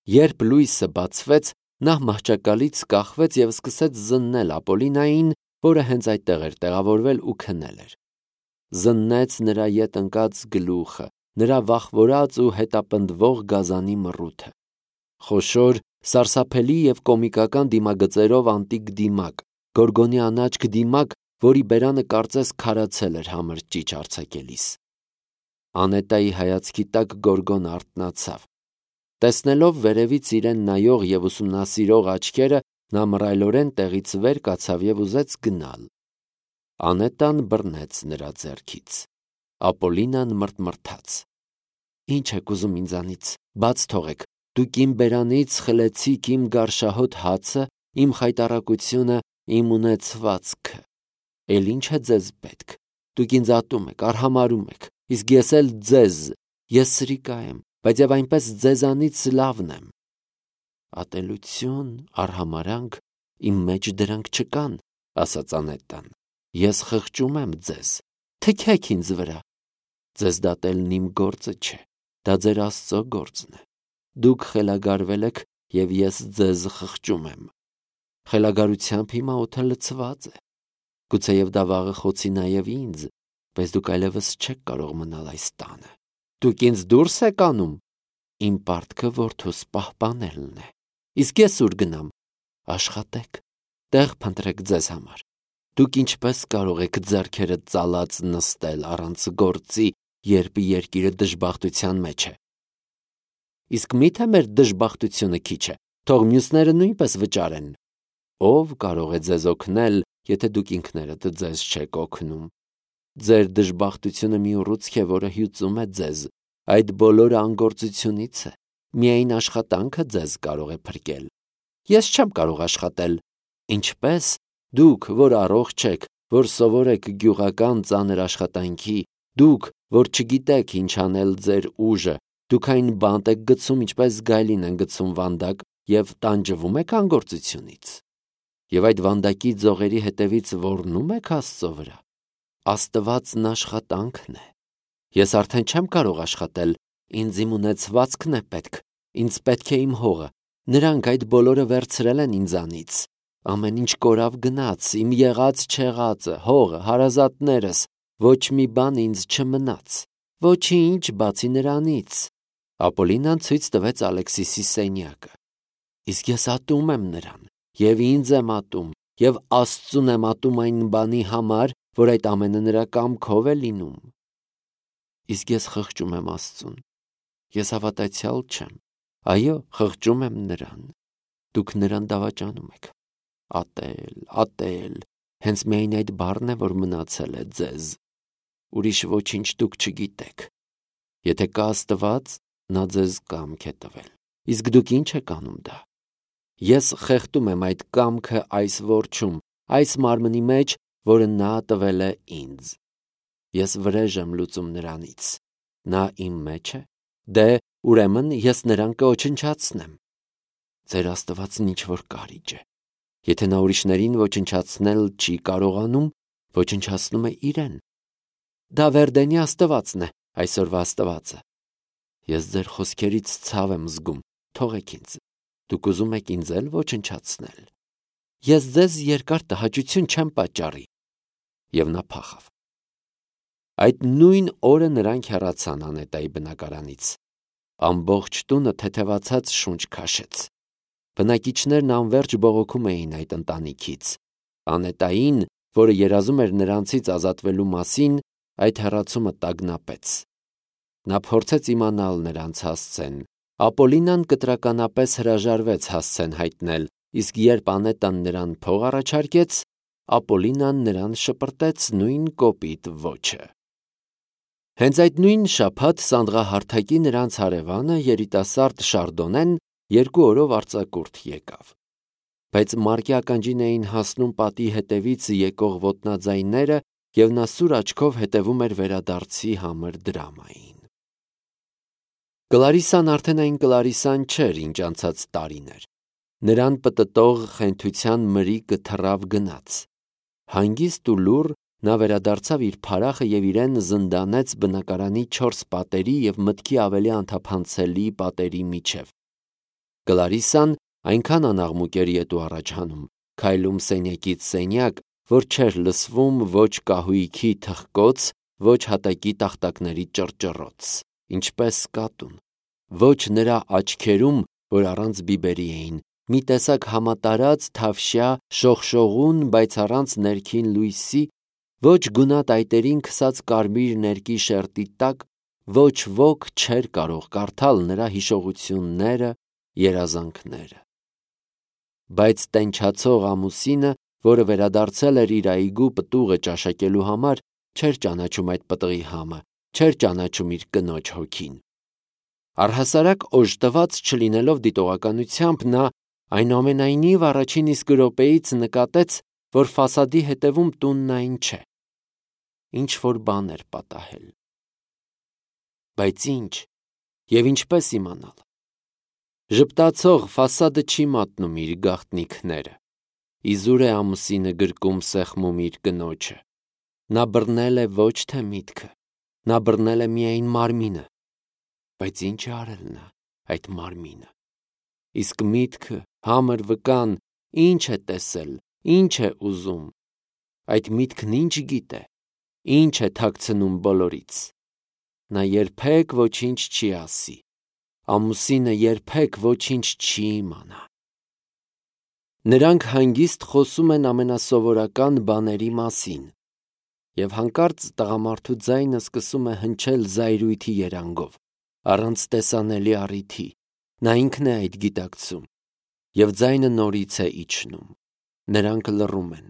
Երբ լույսը բացվեց, նա մահճակալից կախվեց և սկսեց զննել Ապոլինային, որը հենց այդտեղ էր տեղավորվել ու քնել էր։ Զննեց նրա ետ ընկած գլուխը, նրա վախվորած ու հետապնդվող գազանի մռութը։ Խոշոր, սարսափելի և կոմիկական դիմագծերով անտիկ դիմակ, գորգոնի անաչք դիմակ, որի բերանը կարծես քարացել էր համր ճիչ արձակելիս։ Անետայի հայացքի տակ Գորգոն արթնացավ։ Տեսնելով վերևից իրեն նայող և ուսումնասիրող աչքերը, նա մռայլորեն տեղից վեր կացավ և ուզեց գնալ։ Անետան բռնեց նրա ձեռքից։ Ապոլինան մռթմռթաց. «Ինչ եք ուզում ինձանից, բաց թողեք, դուք իմ բերանից խլեցիք իմ գարշահոտ հացը, իմ խայտառակությունը, իմ ունեցվածքը։ Էլ ինչ է ձեզ պետք, դուք ինձ ատում եք, արհամարհում եք, իսկ ես էլ ձեզ, ես սրիկա եմ, բայց և այնպես ձեզանից լավն եմ։ Ատելություն, արհամարհանք, իմ մեջ դրանք չկան, ասաց Անետան, ես խղճում եմ ձեզ, թքեք ինձ վրա։ Ձեզ դատելն իմ գործը չէ, դա ձեր Աստծո գործն է։ Դուք խելագարվել եք, և ես ձեզ խղճում եմ։ Խելագարությամբ հիմա օդը լցված է։ Գուցեև դա վաղը խոցի նաև ինձ, բայց դուք այլևս չեք կարող մնալ այս տանը։ Դուք ինձ դուրս եք անում։ Իմ պարտքը որդուս պահպանելն է։ Իսկ ես ուր գնամ։ Աշխատեք, տեղ փնտրեք ձեզ համար։ Դուք ինչպես կարող եք ձեռքերը ծալած նստել առանց գործի, երբ երկիրը դժբախտության մեջ է։ Իսկ մի՞թե մեր դժբախտությունը քիչ է, թող մյուսները նույնպես վճարեն։ Ո՞վ կարող է ձեզ օգնել, եթե դուք ինքներդ ձեզ չեք օգնում։ Ձեր դժբախտությունը մի ուռուցք է, որը հյուծում է ձեզ։ Այդ բոլորը անգործությունից է։ Միայն աշխատանքը ձեզ կարող է փրկել։ Ես չեմ կարող աշխատել։ Ինչպես դուք, որ առողջ եք, որ սովոր եք գյուղական ծանր աշխատանքի, դուք, որ չգիտեք ինչ անել ձեր ուժը, դուք այն բանտ եք գցում, ինչպես գայլին են գցում վանդակ, և տանջվում եք անգործությունից։ Եվ այդ վանդակի ձողերի հետևից ոռնում եք Աստծո վրա։ Աստվածն աշխատանքն է։ Ես արդեն չեմ կարող աշխատել, ինձ իմ ունեցվածքն է պետք, ինձ պետք է իմ հողը, նրանք այդ բոլորը վերցրել են ինձանից։ Ամեն ինչ կորավ գնաց, իմ եղած չեղածը, հողը, հարազատներս, ոչ մի բան ինձ չմնաց, ոչինչ բացի նրանից։ Ապոլինան ցույց տվեց Ալեքսիսի սենյակը։ Իսկ ես ատում եմ նրան, և ինձ եմ ատում, և Աստծուն եմ ատում այն բանի համար, որ այդ ամենը նրա կամքով է լինում։ Իսկ ես խղճում եմ Աստծուն։ Ես հավատացյալ չեմ։ Այո, խղճում եմ նրան։ Դուք նրան դավաճանում եք։ Ատել, հենց միայն այդ բառն է, որ մնացել է ձեզ։ Ուրիշ ոչինչ դուք չգիտեք։ Եթե կա Աստված, նա ձեզ կամք է տվել։ Իսկ դուք ինչ եք անում դա։ Ես խեղդում եմ այդ կամքը այս որջում, այս մարմնի մեջ, որը նա տվել է ինձ։ Ես վրեժ եմ լուծում նրանից։ Նա իմ մեջ է։ Դե, ուրեմն ես նրան կոչնչացնեմ։ Ձեր Աստվածն ինչ-որ կարիճ է։ Եթե նա ուրիշներին ոչնչացնել չի կարողանում, ոչնչացնում է իրեն։ Դա Վերդենի Աստվածն է, այսօրվա Աստվածը։ Ես ձեր խոսքերից ցավ եմ զգում, թողեք ինձ։ Դուք ուզում եք ինձ էլ ոչնչացնել։ Ես ձեզ երկար տհաճություն չեմ պատճառի։ Եվ նա փախավ։ Այդ նույն օրը նրանք հեռացան Անետայի բնակարանից։ Ամբողջ տունը թեթևացած շունչ քաշեց։ Բնակիչներն անվերջ բողոքում էին այդ ընտանիքից։ Անետային, որը երազում էր նրանցից ազատվելու մասին, այդ հեռացումը տագնապեց։ Նա փորձեց իմանալ նրանց հասցեն։ Ապոլինան կտրականապես հրաժարվեց հասցեն հայտնել, իսկ երբ Անետան նրան փող առաջարկեց, Ապոլինան նրան շպրտեց նույն կոպիտ ոճը։ Հենց այդ նույն շաբաթ սանդղահարթակի նրանց հարևանը երիտասարդ Շարդոնեն 2 օրով արձակուրդ եկավ։ Բայց մարկի ականջին էին հասնում պատի հետևից եկող ոտնաձայները, և նա սուր աչքով հետևում էր վերադարձի համր դրամային։ Կլարիսան արդեն այն Կլարիսան չէր, ինչ անցած տարին էր։ Նրան պտտող խենթության մրիկը թռավ գնաց։ Հանգիստ ու լուռ նա վերադարձավ իր փարախը և իրեն զնդանեց բնակարանի 4 պատերի և մտքի ավելի անթափանցելի պատերի միջև։ Կլարիսան այնքան անաղմուկ էր ետ ու առաջ հանում, քայլում սենյակից սենյակ, որ չէր լսվում ոչ կահույքի թխկոց, ոչ հատակի տախտակների ճռճռոց, ինչպես կատուն, ոչ նրա աչքերում, որ առանց բիբերի էին, մի տեսակ համատարած թավշյա շողշողուն, բայց առանց ներքին լույսի, ոչ գունատ այտերին քսած կարմիր ներկի շերտի տակ, ոչ ոք չէր կարող կարդալ նրա հիշողությունները, երազանքները։ Բայց տենչացող ամուսինը, որը վերադարձել էր իր այգու պտուղը ճաշակելու համար, չէր ճանաչում այդ պտղի համը, չէր ճանաչում իր կնոջ հոգին։ Առհասարակ օժտված չլինելով դիտողականությամբ, նա այնուամենայնիվ առաջին իսկ րոպեից նկատեց, որ ֆասադի հետևում տունն այն չէ, ինչ որ բան էր պատահել։ Բայց ինչ եւ ինչպես իմանալ։ Ժպտացող ֆասադը չի մատնում իր գաղտնիքները։ Իզուր է ամուսինը գրկում սեղմում իր կնոջը։ Նա բռնել է ոչ թե միտքը, նա բռնել է միայն մարմինը։ Բայց ինչ է արել նա այդ մարմինը։ Իսկ միտքը, համր վկան, ինչ է տեսել, ինչ է ուզում։ Այդ միտքն ինչ գիտե, ինչ է թաքցնում բոլորից։ Նա երբեք ոչինչ չի ասի։ Ամուսինը երբեք ոչինչ չի իմանա։ Նրանք հանգիստ խոսում են ամենասովորական բաների մասին, եւ հանկարծ տղամարդու ձայնը սկսում է հնչել զայրույթի երանգով, առանց տեսանելի առիթի, նա ինքն է այդ գիտակցում, եւ ձայնը նորից է իջնում։ Նրանք լռում են։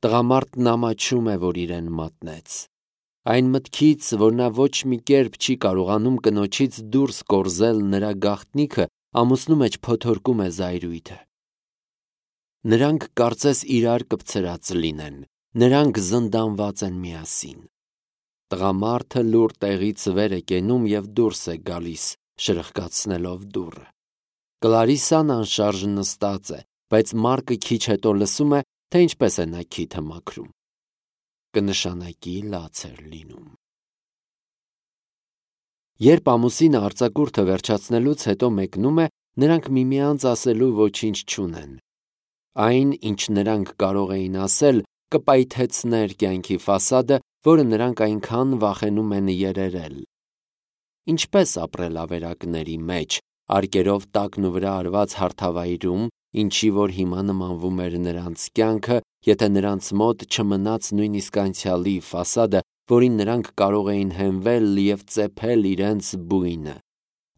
Տղամարդն ամաչում է, որ իրեն մատնեց։ Այն մտքից, որ նա ոչ մի կերպ չի կարողանում կնոջից դուրս կորզել նրա գաղտնիքը, ամուսնու մեջ փոթորկում է զայրույթը։ Նրանք կարծես իրար կպցրած լինեն, նրանք զնդանված են միասին։ Տղամարդը լուռ տեղից վեր է կենում եւ դուրս է գալիս, շրխկացնելով դուռը։ Կլարիսան անշարժ նստած է, բայց Մարկը քիչ հետո լսում է, թե ինչպես է նա քիթը մաքրում։ Կնշանակի լաց էր լինում։ Երբ ամուսինը արձակուրդը վերջացնելուց հետո մեկնում է, նրանք միմյանց ասելու ոչինչ չունեն։ Այն, ինչ նրանք կարող էին ասել, կպայթեցներ կյանքի ֆասադը, որը նրանք այնքան վախենում են երերել։ Ինչպես ապրել ավերակների մեջ, արկերով տակն ու վրա արված հարթավայրում, ինչի որ հիմա նմանվում էր նրանց կյանքը, եթե նրանց մոտ չմնաց նույնիսկ անցյալի ֆասադը, որին նրանք կարող էին հենվել եւ ծեփել իրենց բույնը,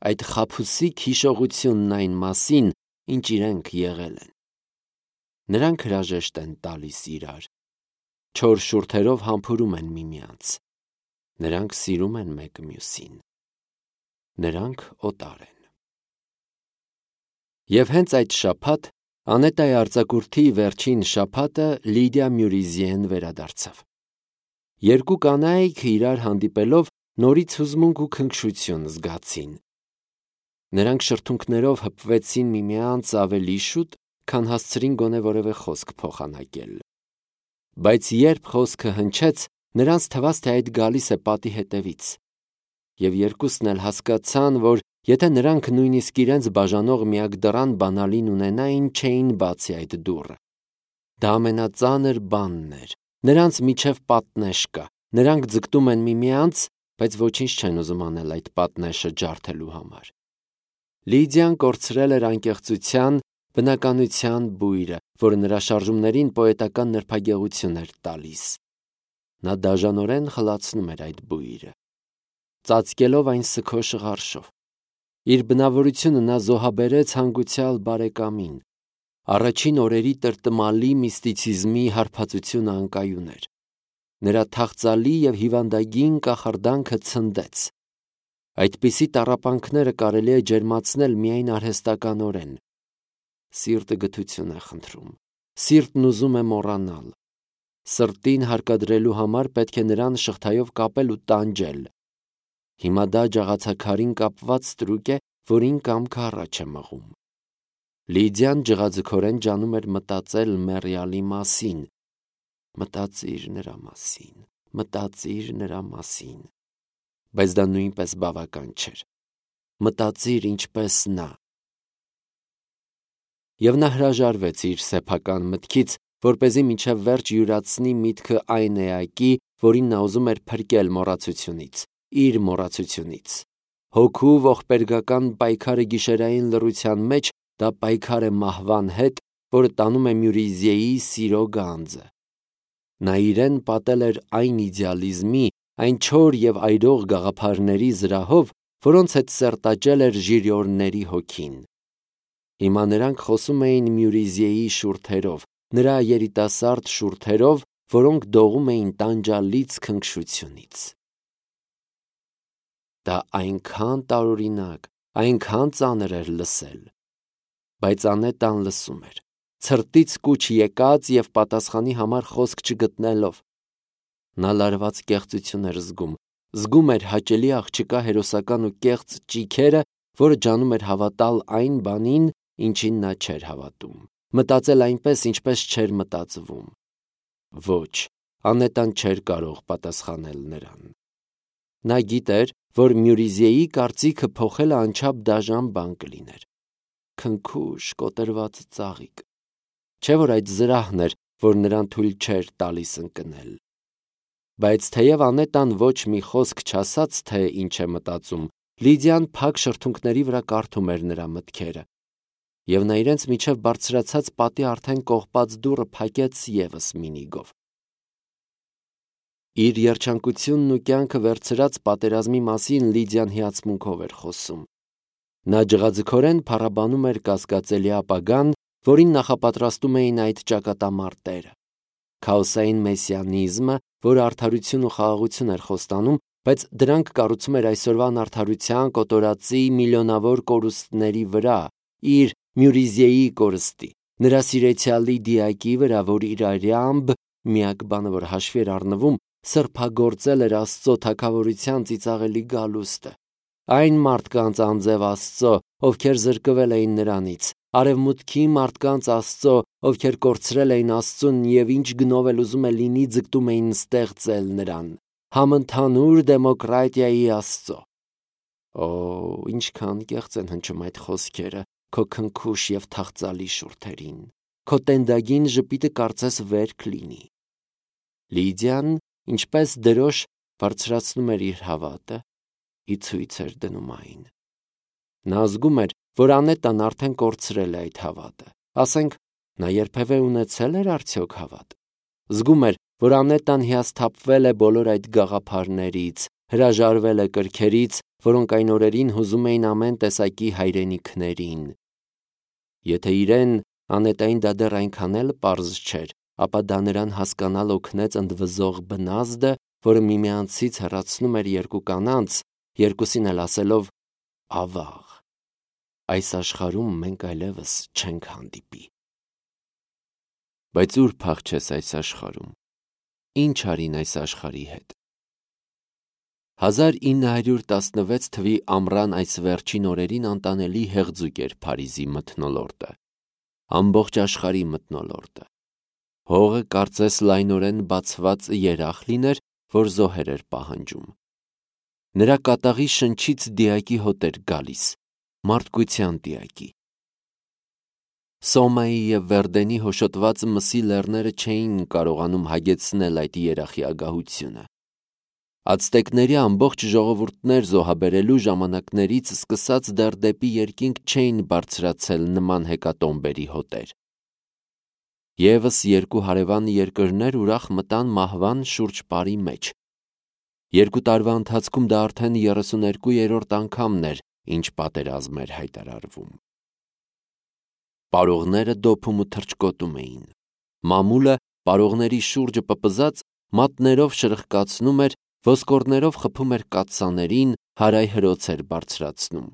այդ խաբուսիկ հիշողությունն այն մասին, ինչ իրենք եղել են։ Նրանք հրաժեշտ են տալիս իրար, չոր շուրթերով համբուրում են միմյանց։ Նրանք սիրում են մեկը մյուսին։ Նրանք օտար են։ Եվ հենց այդ շաբաթ, Անետայի արձակուրդի վերջին շաբաթը, Լիդիա Մյուրիզիեն վերադարձավ։ Երկու կանայք իրար հանդիպելով նորից հուզմունք ու քնքշություն զգացին։ Նրանք շրթունքներով հպվեցին միմյանց ավելի շուտ, քան հասցրին գոնե որևէ խոսք փոխանակել։ Բայց երբ խոսքը հնչեց, նրանց թվաց, թե այդ գալիս է պատի հետևից։ Եվ երկուսն էլ հասկացան, որ եթե նրանք նույնիսկ իրենց բաժանող միակ դռան բանալին ունենային, չէին բացի այդ դուռը։ Դա ամենածանր բանն էր։ Նրանց միջև պատնեշ կա։ Նրանք ձգտում են միմյանց, բայց ոչինչ չեն ուզում անել այդ պատնեշը ջարդելու համար։ Լիդիան կորցրել էր անկեղծության, բնականության բույրը, որը նրա շարժումներին պոետական նրբագեղություն էր տալիս։ Նա դաժանորեն խլացնում էր այդ բույրը, ծածկելով այն սգո շղարշով։ Իր բնավորությունը նա զոհաբերեց հանգուցյալ բարեկամին։ Առաջին օրերի տրտմալի միստիցիզմի հարբածությունը անկայուն էր։ Նրա թախծալի եւ հիվանդագին կախարդանքը ցնդեց։ Այդպիսի տառապանքները կարելի է ջերմացնել միայն արհեստականորեն։ Սիրտը գթություն է խնդրում։ Սիրտն ուզում է մոռանալ։ Սրտին հարկադրելու համար պետք է նրան շղթայով կապել ու տանջել։ Հիմա դա ջաղացաքարին կապված ստրուկ է, որին կամքը առաջ է մղում։ Լիդիան ջղաձգորեն ջանում էր մտածել մեռյալի մասին։ Մտածիր նրա մասին, մտածիր նրա մասին։ Բայց դա նույնպես բավական չէր։ Մտածիր ինչպես նա։ Եվ նա հրաժարվեց իր սեփական մտքից, որպեսզի մինչև վերջ յուրացնի միտքը այն էակի, որին նա ուզում էր փրկել մոռացությունից, իր մոռացությունից։ Հոգու ողբերգական պայքարը գիշերային լռության մեջ, դա պայքար է մահվան հետ, որը տանում է Մյուրիզիեի սիրո գանձը։ Նա իրեն պատել էր այն իդեալիզմի, այն չոր և այրող գաղափարների զրահով, որոնց հետ սերտաճել էր ժիրիորների հոգին։ Հիմա նրանք խոսում էին Մյուրիզիեի շուրթերով, նրա երիտասարդ շուրթերով, որոնք դողում էին տանջալից քնքշությունից։ Դա այնքան տարօրինակ, այնքան ծանր էր լսել։ Բայց Անետան լսում էր, ցրտից կուչ եկած և պատասխանի համար խոսք չգտնելով։ Նա լարված կեղծություն էր զգում էր հաճելի աղջկա հերոսական ու կեղծ ճիգերը, որը ջանում էր հավատալ այն բանին, ինչին նա չէր հավատում, մտածել այնպես, ինչպես չէր մտածվում։ Ոչ, Անետան չէր կարող պատասխանել նրան։ Նա գիտեր, որ Մյուրիզիեի կարծիքը փոխելը անչափ դաժան բան կլիներ։ Քնքուշ, կոտրված ծաղիկ։ Չէ՞ որ այդ զրահն էր, որ նրան թույլ չէր տալիս ընկնել։ Բայց թեև Անետան ոչ մի խոսք չասաց, թե ինչ է մտածում, Լիդիան փակ շրթունքների վրա կարդում էր նրա մտքերը։ Եվ նա իրենց միջև բարձրացած պատի արդեն կողպած դուռը փակեց ևս մի նիգով։ Իր երջանկությունն ու կյանքը վերցրած պատերազմի մասին Լիդիան հիացմունքով էր խոսում։ Նա ջղաձգորեն փառաբանում էր կասկածելի ապագան, որին նախապատրաստում էին այդ ճակատամարտերը։ Քաոսային մեսիանիզմը, որը արդարություն ու խաղաղություն էր խոստանում, բայց դրանք կառուցում էր այսօրվա անարդարության կոտորածի միլիոնավոր կորուստների վրա, իր Մյուրիզիեի կորստի, նրա սիրեցյալի դիակի վրա, որ իր արյամբ, միակ բանը, որ հաշվի էր առնվում, սրբագործել էր Աստծո թագավորության ծիծաղելի գալուստը։ Այն մարդկանց անձև Աստծո, ովքեր զրկվել էին նրանից, արևմուտքի մարդկանց Աստծո, ովքեր կորցրել էին Աստծուն և ինչ գնով էլ ուզում է լինի ձգտում էին ստեղծել նրան, համընդհանուր դեմոկրատիայի Աստծո։ Օ, ինչքան կեղծ են հնչում այդ խոսքերը քո քնքուշ և թախծալի շուրթերին, քո տենդագին ժպիտը կարծես վեր կլինի։ Լիդիան, ինչպես դրոշ, բարձրացնում էր իր հավատը, ի ցույց էր դնում այն։ Նա զգում էր, որ Անետան արդեն կորցրել է այդ հավատը, ասենք, նա երբևէ ունեցել էր արդյոք հավատ։ Զգում էր, որ Անետան հիասթափվել է բոլոր այդ գաղափարներից, հրաժարվել է կրքերից, որոնք այն օրերին հուզում էին ամեն տեսակի հայրենիքներին։ Եթե իրեն Անետային դա դեռ այնքան էլ պարզ չէր, ապա դա նրան հասկանալ օգնեց ընդվզող բնազդը, որը միմյանցից հեռացնում էր երկու կանանց, երկուսին էլ ասելով ավաղ, այս աշխարհում մենք այլևս չենք հանդիպի։ Բայց ուր փախչես այս աշխարհում, ինչ արին այս աշխարհի հետ։ 1916 թվի ամռան այս վերջին օրերին անտանելի հեղձուկ էր Փարիզի մթնոլորտը, ամբողջ աշխարհի մթնոլորտը։ Հողը կարծես լայնորեն բացված երախ լիներ, որ զոհեր էր պահանջում։ Նրա կատաղի շնչից դիակի հոտ էր գալիս, մարդկության դիակի։ Սոմայի և Վերդենի հոշոտված մսի լեռները չէին կարողանում հագեցնել այդ երախի ագահությունը։ Ացտեկների ամբողջ ժողովուրդներ զոհաբերելու ժամանակներից սկսած դեռ դեպի երկինք չէին բարձրացել նման հեկատոմբերի հոտեր։ Եվս երկու հարևան երկրներ ուրախ մտան մահվան շուրջպարի մեջ։ 2 տարվա ընթացքում դա արդեն 32-րդ անգամն էր, ինչ պատերազմ էր հայտարարվում։ Պարողները դոփում ու թռչկոտում էին։ Մամուլը պարողների շուրջը պպզած մատներով շրխկացնում էր, ոսկորներով խփում էր կաթսաներին, հարայհրոց էր բարձրացնում։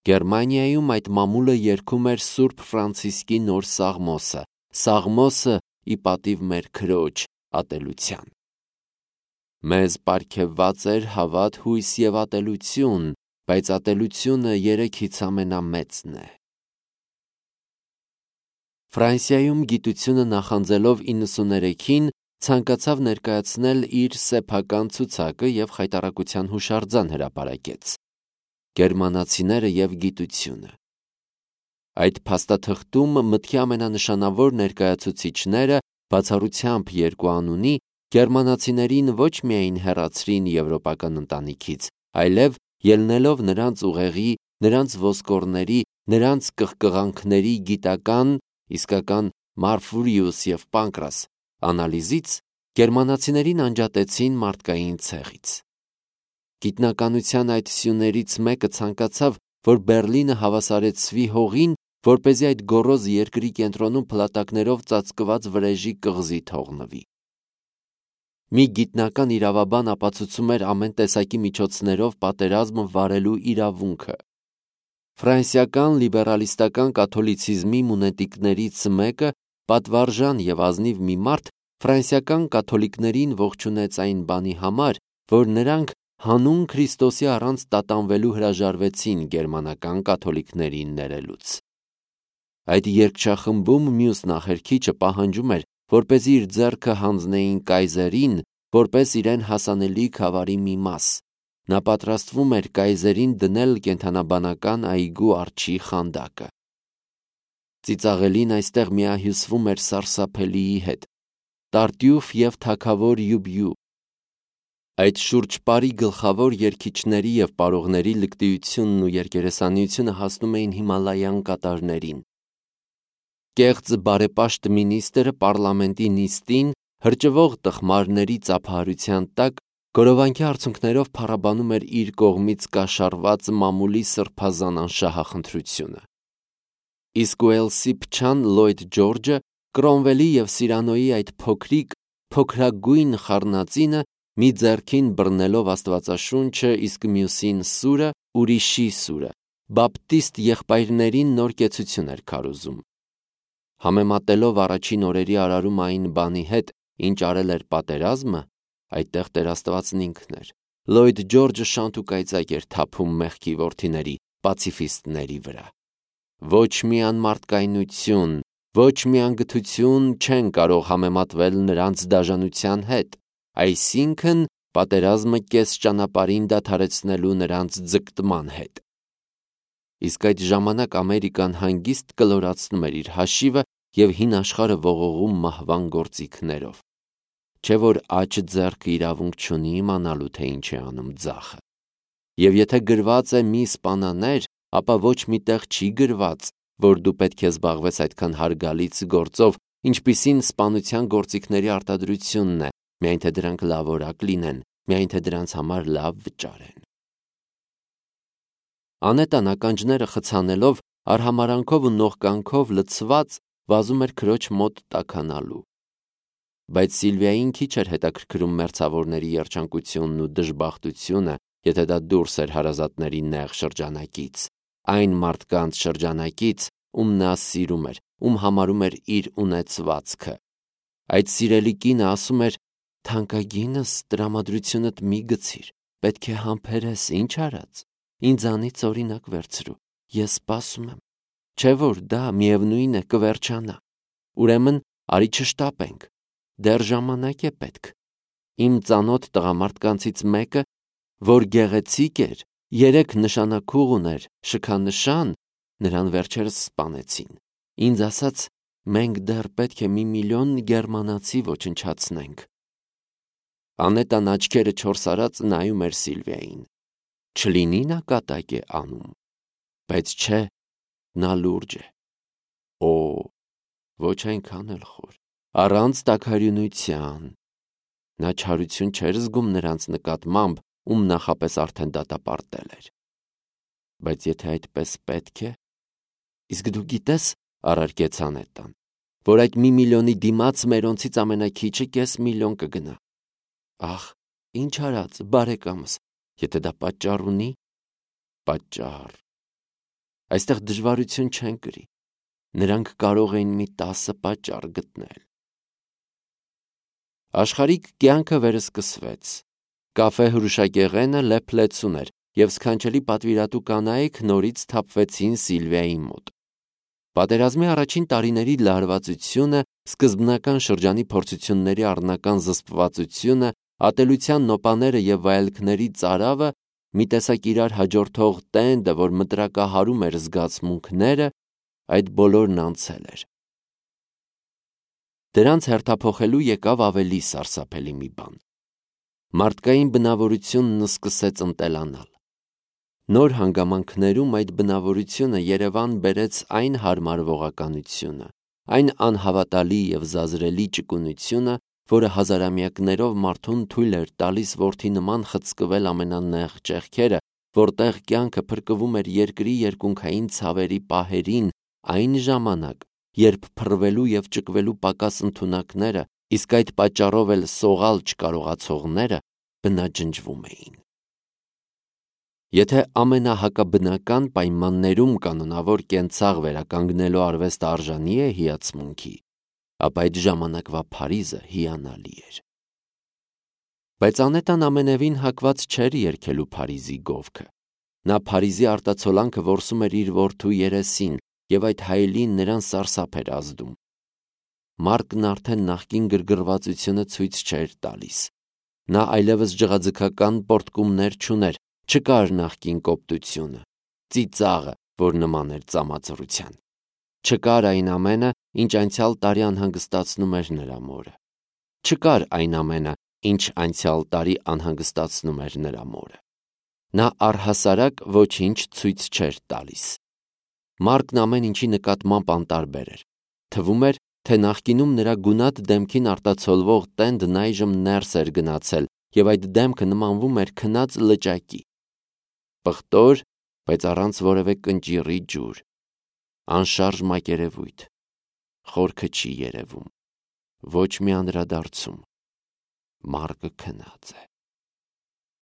Գերմանիայում այդ մամուլը երգում էր Սուրբ Ֆրանցիսկի նոր Սաղմոսը, Սաղմոսը ի պատիվ մեր Քրոջ ատելության։ Մեզ պարգևված էր հավատ, հույս և ատելություն, բայց ատելությունը երեքից ամենամեծն է։ Ֆրանսիայում գիտությունը նախանձելով 93-ին ցանկացավ ներկայացնել իր սեփական ցուցակը և խայտառակության հուշարձան հրապարակեց։ Գերմանացիները և գիտությունը։ Այդ փաստաթղթում մտքի ամենանշանավոր ներկայացուցիչները բացառությամբ երկու անունի գերմանացիներին ոչ միայն հեռացրին եվրոպական ընտանիքից, այլև ելնելով նրանց ուղեղի, նրանց ոսկորների, նրանց կղկղանքների գիտական, իսկական Մարֆուրիուս և Պանկրաս անալիզից, գերմանացիներին անջատեցին մարդկային ցեղից։ Գիտնականության այդ սյուներից մեկը ցանկացավ, որ Բերլինը հավասարեցվի հողին, որպեսզի այդ գոռոզ երկրի կենտրոնում փլատակներով ծածկված վրեժի կղզի թողնվի։ Մի գիտնական իրավաբան ապացուցում էր ամեն տեսակի միջոցներով պատերազմ վարելու իրավունքը։ Ֆրանսիական լիբերալիստական կաթոլիցիզմի մունետիկներից մեկը, պատվարժան և ազնիվ մի մարդ, ֆրանսիական կաթոլիկներին ողջունեց այն բանի համար, որ նրանք հանուն Քրիստոսի առանց տատանվելու հրաժարվեցին գերմանական կաթոլիկներին ներելուց։ Այդ երգչախմբում մյուս նախերգիչը պահանջում էր, որպեսզի իր ձեռքը հանձնեին կայզերին, որպես իրեն հասանելի քավարի մի մաս։ Նա պատրաստվում էր կայզերին դնել կենդանաբանական այգու արջի խանդակը։ Ծիծաղելին այստեղ միահյուսվում էր սարսափելիի հետ՝ Տարտյուֆ և թագավոր Յուբյու։ Այդ շուրջպարի գլխավոր երգիչների և պարողների լկտիությունն ու երկերեսանիությունը հասնում էին Հիմալայան կատարներին։ Կեղծ բարեպաշտ մինիստրը պառլամենտի նիստին հրճվող տխմարների ծափահարության տակ գորովանքի արդյունքներով փառաբանում էր իր կողմից կաշառված մամուլի սրբազան անշահախնդրությունը։ Իսկ Ուելսի փչան Լոյդ Ջորջը Կրոմվելի և Սիրանոյի այդ փոքրագույն խառնածինը մի ձեռքին բռնելով Աստվածաշունչը, իսկ մյուսին սուրը, ուրիշի սուրը, բապտիստ եղբայրներին նոր կեցություն էր քարոզում։ Համեմատելով առաջին օրերի արարում այն բանի հետ, ինչ արել էր պատերազմը, այդտեղ Տեր Աստվածն ինքն էր։ Լոյդ Ջորջը շանտ ու կայծակ էր թափում մեղքի որդիների, պացիֆիստների վրա։ Ոչ մի անմարդկայնություն, ոչ մի անգթություն չեն կարող համեմատվել նրանց դաժանության հետ, այսինքն պատերազմը կես ճանապարհին դադարեցնելու նրանց ձգտման հետ։ Իսկ այդ ժամանակ Ամերիկան հանգիստ կլորացնում էր իր հաշիվը և հին աշխարհը ողողում մահվան գործիքներով։ Չէ՞ որ աջ ձեռքը իրավունք չունի իմանալու, թե ինչ է անում ձախը։ Եվ եթե գրված է մի սպանաներ, ապա ոչ մի տեղ չի գրված, որ դու պետք է զբաղվես այդքան հարգալից գործով, ինչպիսին սպանության գործիքների արտադրությունն է, միայն թե դրանք լավորակ լինեն, միայն թե դրանց համար լավ վճարեն։ Անետան ականջները խցանելով, արհամարանքով ու նողկանքով լցված, վազում էր քրոջ մոտ տաքանալու։ Բայց Սիլվիային քիչ էր հետաքրքրում մերձավորների երջանկությունն ու դժբախտությունը, եթե դա դուրս էր հարազատների նեղ շրջանակից, այն մարդկանց շրջանակից, ում նա սիրում էր, ում համարում էր իր ունեցվածքը։ Այդ սիրելի կինը ասում էր. «Թանկագինս, տրամադրությունդ մի գցիր, պետք է համբերես, ինչ արած, ինձանից օրինակ վերցրու, ես սպասում եմ, չէ որ դա միևնույն է կվերջանա, ուրեմն արի չշտապենք, դեռ ժամանակ է պետք»։ Իմ ծանոթ տղամարդկանցից մեկը, որ գեղեցիկ էր, 3 նշանաքուղ ուներ, շքանշան, նրան վերջերս սպանեցին։ Ինձ ասաց. «Մենք դեռ պետք է 1 միլիոն գերմանացի ոչնչացնենք»։ Անետան աչքերը չորսարած նայում էր Սիլվիային։ Չլինի նա կատակ է անում, բայց չէ, նա լուրջ է։ Օ, ոչ այնքան էլ խոր, առանց տաքարյունության։ Նա չարություն չէր զգում նրանց նկատմամբ, ում նախապես արդեն դատապարտել էր։ Բայց եթե այդպես պետք է, իսկ դու գիտես, առարկեց Անետան, որ այդ 1 միլիոնի դիմաց մերոնցից ամենաքիչը կես միլիոն կգնա։ Ախ, ինչ արած, բարեկամս, եթե դա պատճառ ունի, պատճառ։ Այստեղ դժվարություն չեն կրի, նրանք կարող էին մի 10 պատճառ գտնել։ Աշխարհիկ կյանքը վերսկսվեց։ Կաֆե հրուշակեղենը լեփլեցուն էր, և սքանչելի պատվիրատու կանայք նորից թափվեցին Սիլվիայի մոտ։ Պատերազմի առաջին տարիների լարվածությունը, սկզբնական շրջանի փորձությունների առնական զսպվածությունը, ատելության նոպաները և վայելքների ծարավը, մի տեսակ իրար հաջորդող տենդը, որ մտրակահարում էր զգացմունքները, այդ բոլորն անցել էր։ Դրանց հերթափոխելու եկավ ավելի սարսափելի մի բան։ Մարդկային բնավորությունն սկսեց ընտելանալ։ Նոր հանգամանքներում այդ բնավորությունը Երևան բերեց այն հարմարվողականությունը, այն անհավատալի և զազրելի ճկունությունը, որը հազարամյակներով մարդուն թույլ էր տալիս որդի նման խցկվել ամենանեղ ճեղքերը, որտեղ կյանքը փրկվում էր երկրի երկունքային ցավերի պահերին, այն ժամանակ, երբ փռվելու և ճկվելու պակաս ընդունակները, իսկ այդ պատճառով էլ սողալ չկարողացողները բնաջնջվում էին։ Եթե ամենահակաբնական պայմաններում կանոնավոր կենցաղ վերականգնելու արվեստը արժանի է հիացմունքի, ապա այդ ժամանակվա Փարիզը հիանալի էր։ Բայց Անետան ամենևին հակված չէր երգելու Փարիզի գովքը։ Նա Փարիզի արտացոլանքը որսում էր իր որդու երեսին, և այդ հայելին նրան սարսափ էր ազդում։ Մարկն արդեն նախկին գրգռվածությունը ցույց չէր տալիս։ Նա այլևս ջղաձգական պոռթկումներ չուներ, չկար նախկին կոպտությունը, ծիծաղը, որ նման էր ծամածռության։ Չկար այն ամենը, ինչ անցյալ տարի անհանգստացնում էր նրա մորը։ Չկար այն ամենը, ինչ անցյալ տարի անհանգստացնում էր նրա մորը։ Նա առհասարակ ոչինչ ցույց չէր տալիս։ Մարկն ամեն ինչի նկատմամբ անտարբեր էր։ Թվում էր, թե նախկինում նրա գունատ դեմքին արտացոլվող տենդն այժմ ներս էր գնացել, և այդ դեմքը նմանվում էր քնած լճակի։ Պղտոր, բայց առանց որևէ կնճիռի ջուր։ Անշարժ մակերևույթ։ Խորքը չի երևում։ Ոչ մի անդրադարձում։ Մարկը քնած է։